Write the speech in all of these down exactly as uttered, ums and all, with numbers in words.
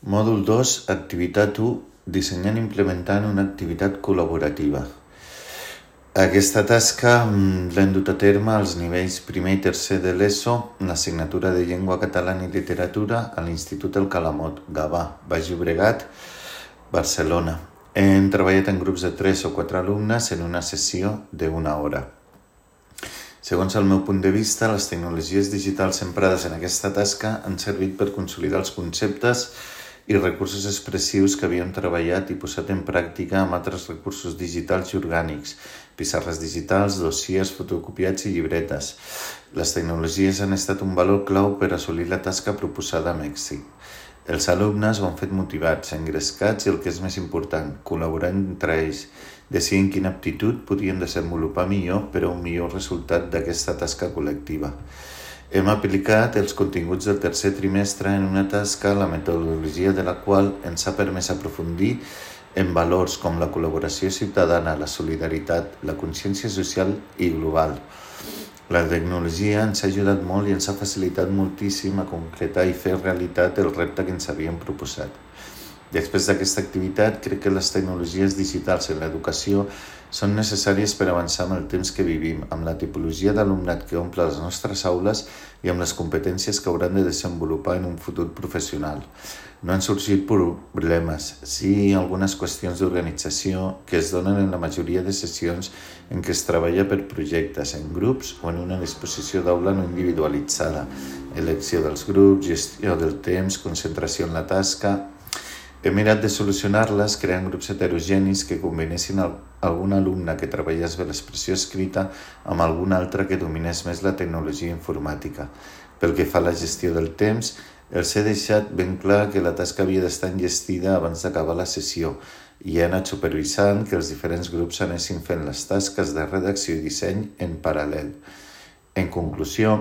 Mòdul dos, activitat u, dissenyant i implementant una activitat col·laborativa. Aquesta tasca l'hem dut a terme als nivells primer i tercer de l'ESO en l'assignatura de Llengua Catalana i Literatura a l'Institut El Calamot, Gavà, Baix Llobregat, Barcelona. Hem treballat en grups de tres o quatre alumnes en una sessió d'una hora. Segons el meu punt de vista, les tecnologies digitals emprades en aquesta tasca han servit per consolidar els conceptes i recursos expressius que havíem treballat i posat en pràctica amb altres recursos digitals i orgànics, pissarres digitals, dossiers, fotocopiats i llibretes. Les tecnologies han estat un valor clau per assolir la tasca proposada amb èxit. Els alumnes ho han fet motivats, engrescats i el que és més important, col·laborant entre ells, decidint quina aptitud podien desenvolupar millor per a un millor resultat d'aquesta tasca col·lectiva. Hem aplicat els continguts del tercer trimestre en una tasca, la metodologia de la qual ens ha permès aprofundir en valors com la col·laboració ciutadana, la solidaritat, la consciència social i global. La tecnologia ens ha ajudat molt i ens ha facilitat moltíssim a concretar i fer realitat el repte que ens havíem proposat. Després d'aquesta activitat, crec que les tecnologies digitals en l'educació són necessàries per avançar amb el temps que vivim, amb la tipologia d'alumnat que omple les nostres aules i amb les competències que hauran de desenvolupar en un futur professional. No han sorgit problemes, sí algunes qüestions d'organització que es donen en la majoria de sessions en què es treballa per projectes, en grups o en una disposició d'aula no individualitzada, elecció dels grups, gestió del temps, concentració en la tasca. He mirat de solucionar-les creant grups heterogenis que combinessin algun alumne que treballés bé l'expressió escrita amb algun altre que dominés més la tecnologia informàtica. Pel que fa a la gestió del temps, els he deixat ben clar que la tasca havia d'estar enllestida abans d'acabar la sessió i he anat supervisant que els diferents grups anessin fent les tasques de redacció i disseny en paral·lel. En conclusió,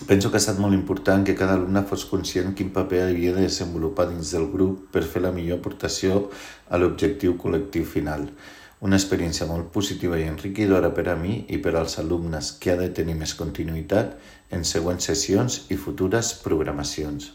penso que ha estat molt important que cada alumne fos conscient quin paper havia de desenvolupar dins del grup per fer la millor aportació a l'objectiu col·lectiu final. Una experiència molt positiva i enriquidora per a mi i per als alumnes que ha de tenir més continuïtat en següents sessions i futures programacions.